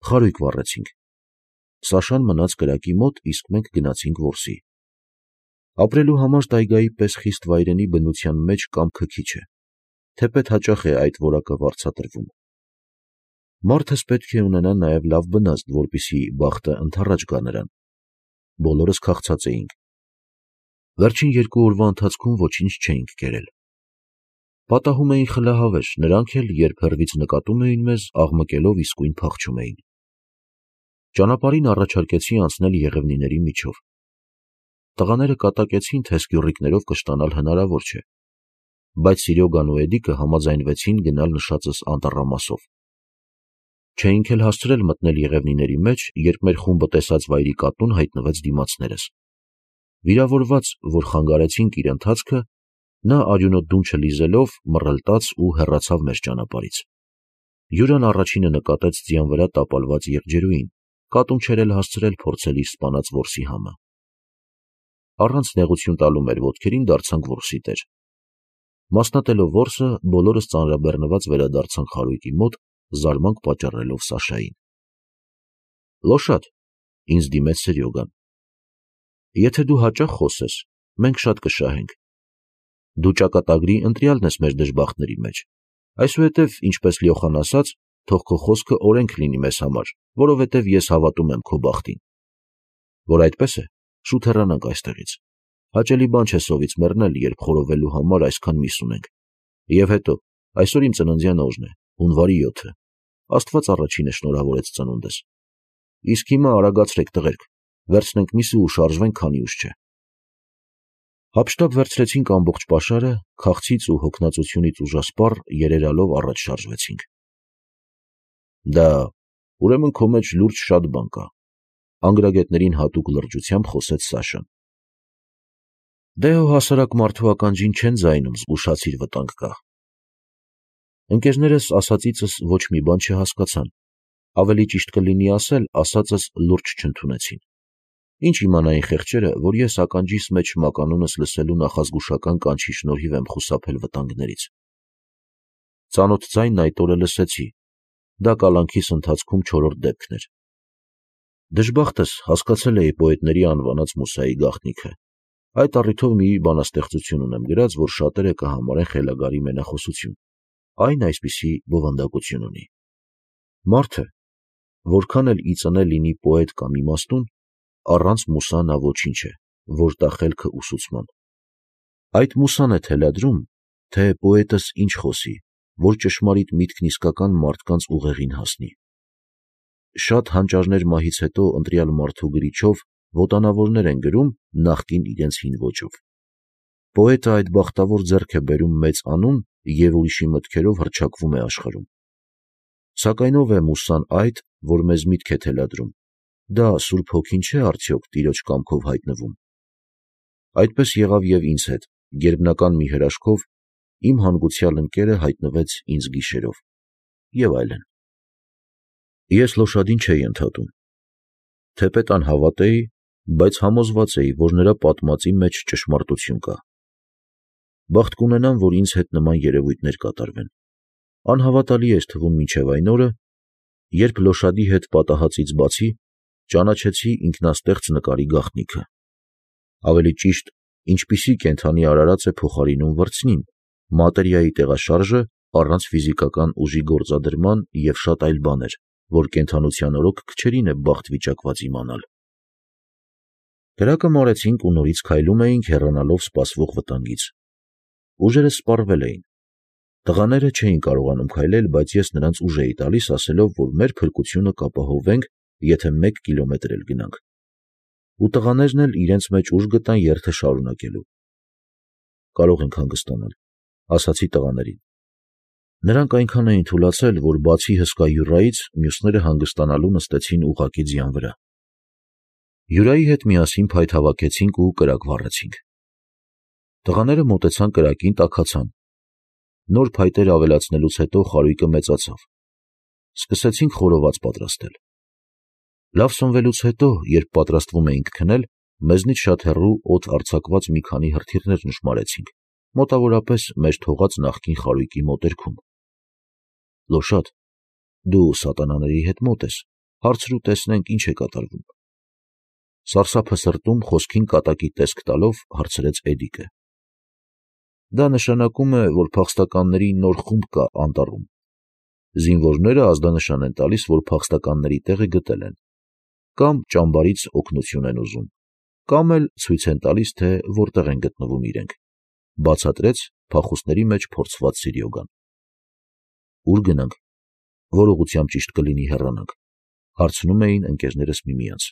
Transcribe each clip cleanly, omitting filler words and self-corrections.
խարույկ վառեցինք։ Սաշան մնաց կրակի մոտ, իսկ մենք գնացինք որսի։ Ապրելու համար տայգայի պես խիստ վայրենի բնության մեջ կամքը քիչ է, թեպետ հաճախ է այդ որակը վարձատրվում։ Մարդս պետք է ունենա նաև լավ բնազդ, որպեսզի բախտը ընդառաջ գա նրան։ Բոլորս քաղցած էինք։ Վերջին 2 օրվա ընթացքում ոչինչ չէինք կերել։ Պատահում էին խլահավեր, նրանք էլ, երբ հեռվից նկատում էին մեզ, աղմկելով իսկույն փախչում էին։ Ճանապարհին առաջարկեցի անցնել եղևնիների միջով։ Տղաները կատակեցին, թե սկյուռիկներով կշտանալ հնարավոր չէ, բայց Սիրյոգան ու Էդիկը համաձայնվեցին գնալ նշածս անտառամասով։ Չէինք էլ հասցրել մտնել եղևնիների մեջ, երբ մեր խումբը տեսած վայրի կատուն հայտնվեց դիմացներս։ Վիրավորված, որ խանգարեցինք իր ընթացքը, նա արյունոտ դունչը լիզելով մռլտաց ու հեռացավ մեր ճանապարհից։ Յուրան առաջինը նկատեց ձյան վրա տապալված եղջերուին, կատուն չէր էլ հասցրել փորձել իր սպանած որսի համը։ Առանց նեղություն տալու մեր ոտքերին դարձանք որսի տեր։ Մասնատելով որսը, բոլորս ծանրաբեռնված վերադարձանք խարույկի մոտ, զարմանք պատճառելով Սաշային։ Լոշատ, ինձ դիմեց Սերյոգան, եթե դու հաճախ խոսես, մենք շատ կշահենք։ Դու ճակատագրի ընտրյալն ես մեր դժբախտների մեջ, այսուհետև, ինչպես Լյոխան ասաց, թող քո խոսքը օրենք լինի մեզ համար, որովհետև ես հավատում եմ քո բախտին։ Որ այդպես է, շուտ հեռանանք այստեղից։ Հաճելի բան չէ սովից մեռնել, երբ խորովելու համար այսքան միս ունենք։ Եվ հետո, այսօր իմ ծննդյան օրն է, հունվարի 7-ը։ Աստված առաջինը շնորհավորեց ծնունդս։ Իսկ հիմա արագացրեք տղերք, վերցնենք միսը ու շարժվենք, քանի ուշ չէ։ Հափշտակ վերցրեցինք ամբողջ պաշարը, քաղցից ու հոգնածությունից ուժասպառ երերալով առաջ շարժվեցինք։ Դա, ուրեմն քո մեջ լուրջ շատ բան կա, անգրագետներին հատուկ լրջությամբ խոսեց Սաշան։ Դե հո հասարակ մարդու ականջին չեն ձայնում, զգուշացիր վտանգ կա։ Ընկերներս ասածիցս ոչ մի բան չհասկացան, ավելի ճիշտ կլինի ասել, ասածս լուրջ չընդունեցին։ Ինչ իմանային խեղճերը, որ ես ականջիս մեջ մականունս լսելու նախազգուշական կանչի շնորհիվ եմ խուսափել վտանգներից։ Ծանոթ ձայնն այդ օրը լսեցի, դա կալանքիս ընթացքում 4-րդ դեպքն էր։ Դժբախտս հասկացել էի պոետների անվանած Մուսայի գաղտնիքը։ Այդ առիթով մի բանաստեղծություն ունեմ գրած, որ շատերը կհամարեն խելագարի մենախոսություն։ Այն այսպիսի բովանդակություն ունի. Մարդը, որքան էլ ի ծնե լինի պոետ կամ իմաստուն, առանց մուսա նա ոչինչ է, որ տա խելքը ուսուցման։ Այդ մուսան է թելադրում, թե պոետս ինչ խոսի, որ ճշմարիտ միտքն իսկական մարդկանց ուղեղին հասնի։ Շատ հանճարներ մահից հետո ընտրյալ մարդու գրիչով ոտանավորներ են գրում նախկին իրենց հին ոճով։ Պոետը այդ բախտավոր ձեռք է բերում մեծ անուն և ուրիշի մտքերով հռչակվում է աշխարհում։ Սակայն ով է մուսան այդ, որ մեզ միտք է թելադրում, դա Սուրբ Հոգին չէ արդյոք Տիրոջ կամքով հայտնվում։ Այդպես եղավ և ինձ հետ, գերբնական մի հրաշքով իմ հանգուցյալ ընկերը հայտնվեց ինձ գիշերով և այլն։ Ես Լոշադին չէի ընդհատում, թեպետ անհավատ էի, բայց համոզված էի, որ նրա պատմածի մեջ ճշմարտություն կա։ Բախտ կունենամ, որ ինձ հետ նման երևույթներ կատարվեն։ Անհավատալի էր թվում մինչև այն օրը, երբ Լոշադի հետ պատահածից բացի ճանաչեցի ինքնաստեղծ նկարի գաղտնիքը։ Ավելի ճիշտ, ինչպիսի կենդանի արարած է փոխարինում վրձնին, մատերիայի տեղաշարժը առանց ֆիզիկական ուժի գործադրման և շատ այլ բաներ, որ կենդանության օրոք քչերին է բախտ վիճակված իմանալ։ Կրակը մարեցինք ու նորից քայլում էինք հեռանալով սպասվող վտանգից։ Ուժերս սպառվել էին։ Տղաները չէին կարողանում քայլել, բայց ես նրանց ուժ էի տալիս, ասելով, որ մեր փրկությունը կապահովենք, եթե 1 կիլոմետր էլ գնանք։ Ու տղաներն էլ իրենց մեջ ուժ գտան երթը շարունակելու։ Կարող ենք հանգստանալ, ասացի տղաներին։ Նրանք այնքան էին թուլացել, որ բացի հսկա յուռայից, մյուսները հանգստանալու նստեցին ուղղակի ձյան վրա։ Յուրայի հետ միասին փայտ հավաքեցինք ու կրակ վառեցինք։ Տղաները մոտեցան կրակին, տաքացան։ Նոր փայտեր ավելացնելուց հետո խարույկը մեծացավ։ Սկսեցինք խորոված պատրաստել։ Լավ սնվելուց հետո, երբ պատրաստվում էինք քնել, մեզնից շատ հեռու օդ արձակված մի քանի հրթիռներ նշմարեցինք, մոտավորապես մեր թողած նախկին խարույկի մոտերքում։ Լոշատ, դու սատանաների հետ մոտ ես, հարցրու տեսնենք ինչ է կատարվում։ Սարսափը սրտում խոսքին կատակի տեսք տալով հարցրեց Էդիկը։ Դա նշանակում է, որ փախստականների նոր խումբ կա անտառում։ Զինվորները ազդանշան են տալիս, որ փախստականների տեղը գտել են, կամ ճամբարից օգնություն են ուզում, կամ էլ ցույց են տալիս, թե որտեղ են գտնվում իրենք, բացատրեց փախուստների մեջ փորձված Սիրիոգան։ Ուր գնանք, որ ուղղությամբ ճիշտ կլինի հեռանանք, հարցնում էին ընկերներս միմյանց։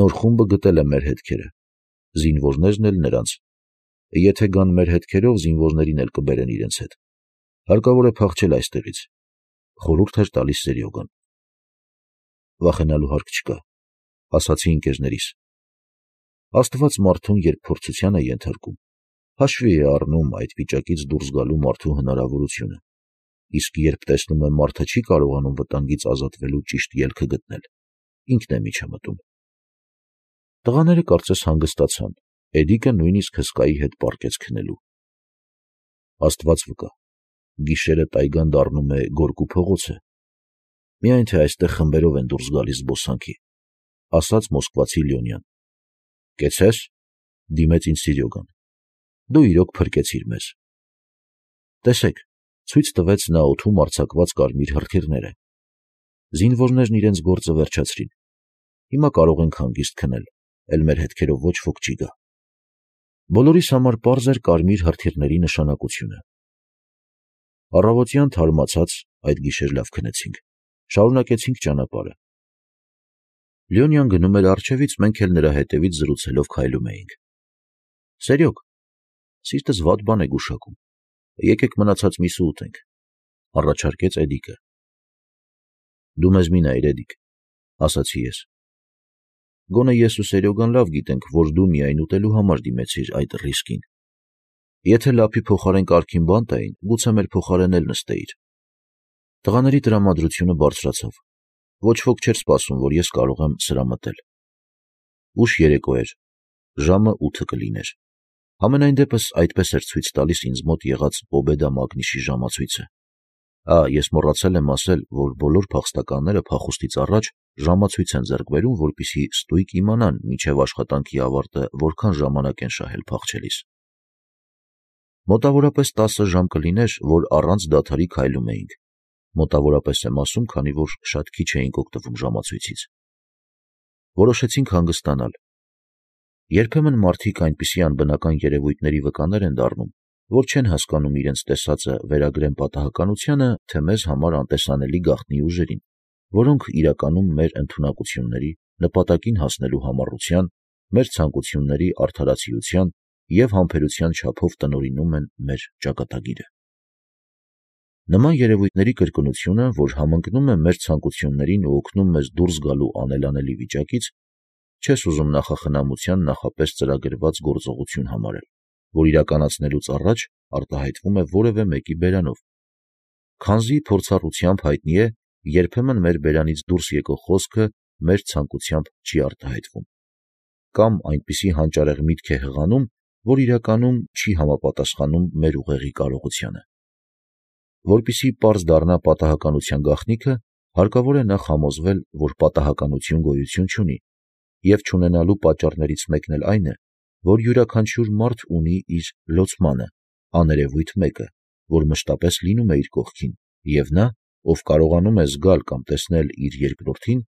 Նոր խումբը գտել է մեր հետքերը, զինվորներն էլ նրանց։ Եթե գան մեր հետքերով, զինվորներին էլ կբերեն իրենց հետ։ Հարկավոր է փախչել այստեղից, խորհուրդ էր տալիս Սերյոգան։ Վախենալու հարկ չկա, ասացի ընկերներիս։ Աստված մարդուն երբ փորձության է ենթարկում, հաշվի է առնում այդ վիճակից դուրս գալու մարդու հնարավորությունը, իսկ երբ տեսնում է մարդը չի կարողանում վտանգից ազատվելու ճիշտ ելքը գտնել, ինքն է միջամտում։ Տղաները կարծես հանգստացան, Էդիկը նույնիսկ հսկայի հետ պառկեց քնելու։ Աստված վկա, գիշերը տայգան դառնում է գորգու փողոցը, միայն թե այստեղ խմբերով են դուրս գալիս զբոսանքի, ասաց մոսկվացի Լյոնյան։ Կեցես, դիմեց ինձ Սիրյոգան, դու իրոք փրկեցիր մեզ։ Տեսեք, ցույց տվեց նա օդում արձակված կարմիր հրթիռները։ Զինվորներն իրենց գործը վերջացրին։ Հիմա կարող ենք հանգիստ քնել, էլ մեր հետքերով ոչ ոք չի գա։ Բոլորիս համար պարզ էր կարմիր հրթիռների նշանակությունը։ Առավոտյան թարմացած այդ գիշեր լավ քնեցինք, շարունակեցինք ճանապարհը։ Լյոնյան գնում էր առջևից, մենք էլ նրա հետևից զրուցելով քայլում էինք։ Սերյոգ, սիրտս վատ բան է գուշակում, եկեք մնացած միսը ուտենք, առաջարկեց Էդիկը։ Դու մեզ մի նայիր, Էդիկ, ասացի ես։ Գոնե ես ու Սերյոգան լավ գիտենք, որ դու միայն ուտելու համար դիմեցիր այդ ռիսկին։ Եթե լափի փոխարեն կարգին բան տային, գուցե մեր փոխարեն էլ նստեիր։ Տղաների տրամադրությունը բարձրացավ։ Ոչ ոք չէր սպասում, որ ես կարող եմ սրա մտել։ Ուշ երեկո էր, ժամը 8 կլիներ։ Համենայն դեպս այդպես էր ցույց տալիս ինձ մոտ եղած Պոբեդա Մագնիշի ժամացույցը։ Ես մոռացել եմ ասել, որ բոլոր փախստականները փախուստից առաջ ժամացույց են ձեռք բերում, որպեսզի ստույգ իմանան մինչև աշխատանքի ավարտը որքան ժամանակ են շահել փախչելիս։ Մոտավորապես 10 ժամ կլիներ, որ առանց դադարի քայլում էինք։ Մոտավորապես եմ ասում, քանի որ շատ քիչ էինք օգտվում ժամացույցից։ Որոշեցինք հանգստանալ։ Երբեմն մարդիկ այնպիսի անբնական երևույթների վկաներ են դառնում, որ չեն հասկանում իրենց տեսածը վերագրեն պատահականությանը, թե մեզ համար անտեսանելի գաղտնի ուժերին, որոնք իրականում մեր ընդունակությունների, նպատակին հասնելու համառության, մեր ցանկությունների արդարացիության և համբերության չափով տնօրինում են մեր ճակատագիրը։ Նման երևույթների կրկնությունը, որ համընկնում է մեր ցանկություններին ու օգնում մեզ դուրս գալու անելանելի վիճակից, չես ուզում նախախնամության նախապես ծրագրված գործողություն համարել, որ իրականացնելուց առաջ արտահայտվում է որևէ մեկի բերանով։ Քանզի փորձառությամբ հայտնի է, երբեմն մեր բերանից դուրս եկող խոսքը մեր ցանկությամբ չի արտահայտվում, կամ այնպիսի հանճարեղ միտք է հղանում, որ իրականում չի համապատասխանում մեր ուղեղի կարողությանը։ Որպեսզի պարզ դառնա պատահականության գաղտնիքը, հարկավոր է նախ համոզվել, որ պատահականություն գոյություն չունի, և չունենալու պատճառներից մեկն էլ այն է, որ յուրաքանչյուր մարդ ունի իր լոցմանը, աներևույթ մեկը, որ մշտապես լինում է իր կողքին, և նա, ով կարողանում է զգալ կամ տեսնել իր երկրորդին,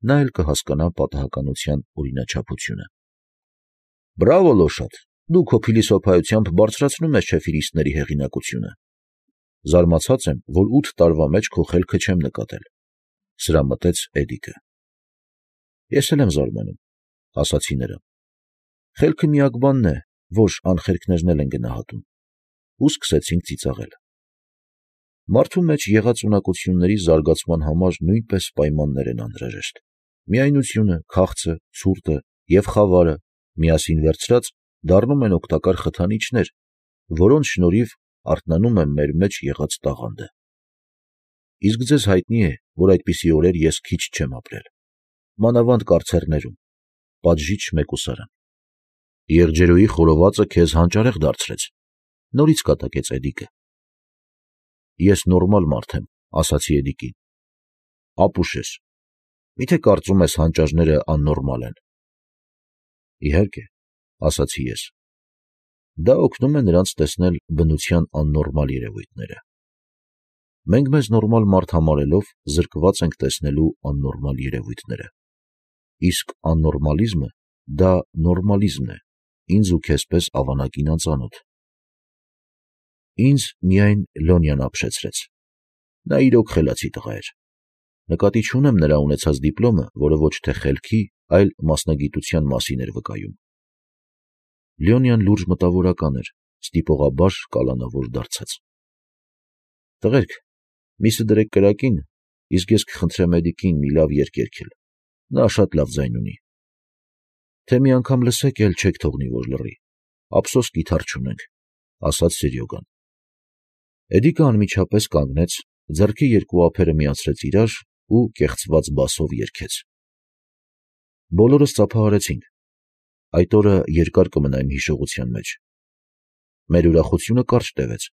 նա էլ կհասկանա պատահականության օրինաչափությունը։ Բրավո, Լոշատ, դու քո փիլիսոփայությամբ բարձրացնում ես չեֆիրիստների հեղինակությունը։ Զարմացած եմ, որ 8 տարվա մեջ քո խելքը չեմ նկատել, սրամտեց Էդիկը։ Ես էլ եմ զարմանում, ասացի նրան։ Խելքը միակ բանն է, որ անխելքներն էլ են գնահատում։ Ու սկսեցինք ծիծաղել։ Մարդու մեջ եղած ունակությունների զարգացման համար նույնպես պայմաններ են անհրաժեշտ։ Միայնությունը, քաղցը, ցուրտը և խավարը միասին վերցրած դառնում են օգտակար խթանիչներ, որոնց շնորհիվ արթնանում է մեր մեջ եղած տաղանդը։ Իսկ ձեզ հայտնի է, որ այդպիսի օրեր ես քիչ չեմ ապրել։ Մանավանդ կարծերներում, պատժիչ մեկուսարան։ Եղջերուի խորովածը քեզ հանճարեղ դարձրեց, նորից կատակեց Էդիկը։ Ես նորմալ մարդ եմ, ասացի Էդիկին։ ապուշ ես, միթե կարծում ես հանճարները աննորմալ են։ Իհարկե, ասացի ես, դա օգնում է նրանց տեսնել բնության աննորմալ երևույթները։ Մենք մեզ նորմալ մարդ համարելով զրկված ենք տեսնելու աննորմալ երևույթները։ Իսկ աննորմալիզմը դա նորմալիզմն է, ինձ ու քեզ պես ավանակին անծանոթ։ Ինձ միայն Լոնյան ապշեցրեց։ Նա իրոք խելացի տղա էր։ Նկատի չունեմ նրա ունեցած դիպլոմը, որը ոչ թե խելքի, այլ մասնագիտության մասին էր վկայում։ Լյոնյան լուրջ մտավորական էր, ստիպողաբար կալանավոր դարձած։ Տղերք, միսը դրեք կրակին, իսկ ես կխնդրեմ Էդիկին մի լավ երգ երգել, նա շատ լավ ձայն ունի։ Թե մի անգամ լսեք, էլ չեք թողնի, որ լռի, ափսոս կիթառ չունենք, ասաց Սերյոգան։ Էդիկը անմիջապես կանգնեց, ձեռքի երկու ափերը միացրեց իրար ու կեղծված բասով երգեց։ Բոլորս ծափահարեցինք։ Այդ օրը երկար կմնա իմ հիշողության մեջ։ Մեր ուրախությունը կարճ տևեց,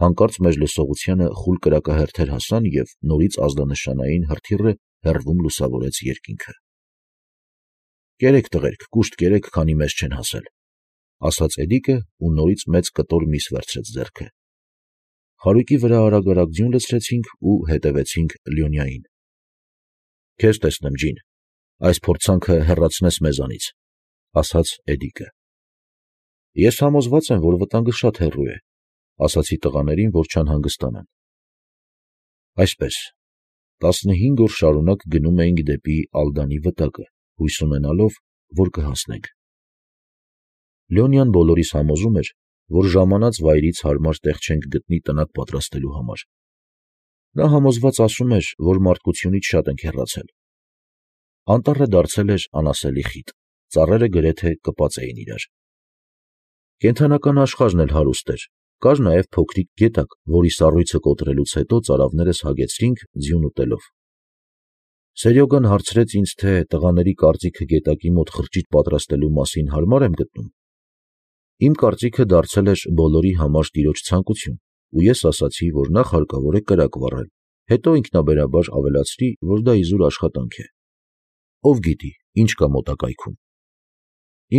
հանկարծ մեր լսողությանը խուլ կրակահերթեր հասան և նորից ազդանշանային հրթիռը հեռվում լուսավորեց երկինքը։ Կերեք տղերք, կուշտ կերեք, քանի մեզ չեն հասել, ասաց Էդիկը ու նորից մեծ կտոր միս վերցրեց ձեռքը։ Խարույկի վրա արագ-արագ ձյուն լցրեցինք ու հետևեցինք Լյոնյային։ Քեզ տեսնեմ, ջին, այս փորձանքը հեռացնես մեզանից, ասաց Էդիկը։ Ես համոզված եմ, որ վտանգը շատ հեռու է, ասացի տղաներին, որ չանհանգստանան։ Այսպես, 15 օր շարունակ գնում էինք դեպի Ալդանի վտակը, հույս ունենալով, որ կհասնենք։ Լյոնյան բոլորիս համոզում էր, որ ժամանած վայրից հարմար տեղ չենք գտնի տնակ պատրաստելու համար։ Նա համոզված ասում էր, որ մարդկությունից շատ ենք հեռացել։ Անտառը դարձել էր անասելի խիտ, ծառերը գրեթե կպած էին իրար։ Կենդանական աշխարհն էլ հարուստ էր, կար նաև փոքրիկ գետակ, որի սառույցը կոտրելուց հետո ծարավներս հագեցրինք ձյուն ուտելով։ Սերյոգան հարցրեց ինձ, թե տղաների կարծիքը գետակի մոտ խրճիթ պատրաստելու մասին հարմար եմ գտնում։ Իմ կարծիքը դարձել էր բոլորի համար տիրոջ ցանկություն, ու ես ասացի, որ նախ հարկավոր է կրակ վառել, հետո ինքնաբերաբար ավելացրի, որ դա իզուր աշխատանք է։ Ով գիտի, ինչ կա մոտակայքում։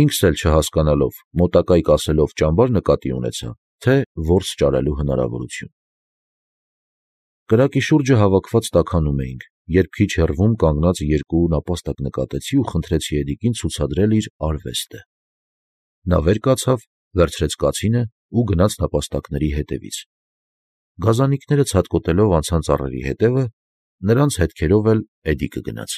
Ինքս էլ չհասկանալով, մոտակայք ասելով ճամբար նկատի ունեցա, թե որս ճարելու հնարավորություն։ Կրակի շուրջը հավաքված տաքանում էինք, երբ քիչ հեռվում կանգնած երկու նապաստակ նկատեցի ու խնդրեցի Էդիկին ցուցադրել իր արվեստը։ Նա վեր կացավ, վերցրեց կացինը ու գնաց նապաստակների հետևից։ Գազանիկները ցատկոտելով անցան ծառերի հետևը, նրանց հետքերով էլ Էդիկը գնաց։